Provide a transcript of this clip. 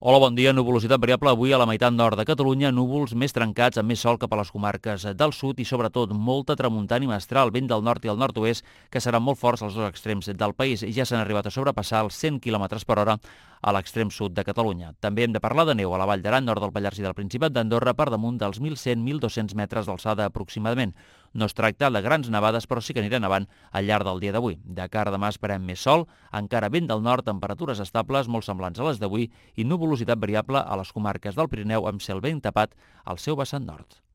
Hola, bon dia. Nuvolositat variable avui a la meitat nord de Catalunya, núvols més trencats amb més sol cap a les comarques del sud i sobretot molta tramuntana i mestral, vent del nord i el nord-oest que seran molt forts als dos extrems del país i ja s'han arribat a sobrepassar els 100 km per hora a l'extrem sud de Catalunya. També hem de parlar de neu a la Vall d'Aran, nord del Pallars i del Principat d'Andorra per damunt dels 1.100-1.200 metres d'alçada aproximadament. No es tracta de grans nevades, però sí que aniran nevant al llarg del dia d'avui. De cara a demà esperem més sol, encara vent del nord, temperatures estables molt semblants a les d'avui i nuvolositat variable a les comarques del Pirineu amb cel ben tapat al seu vessant nord.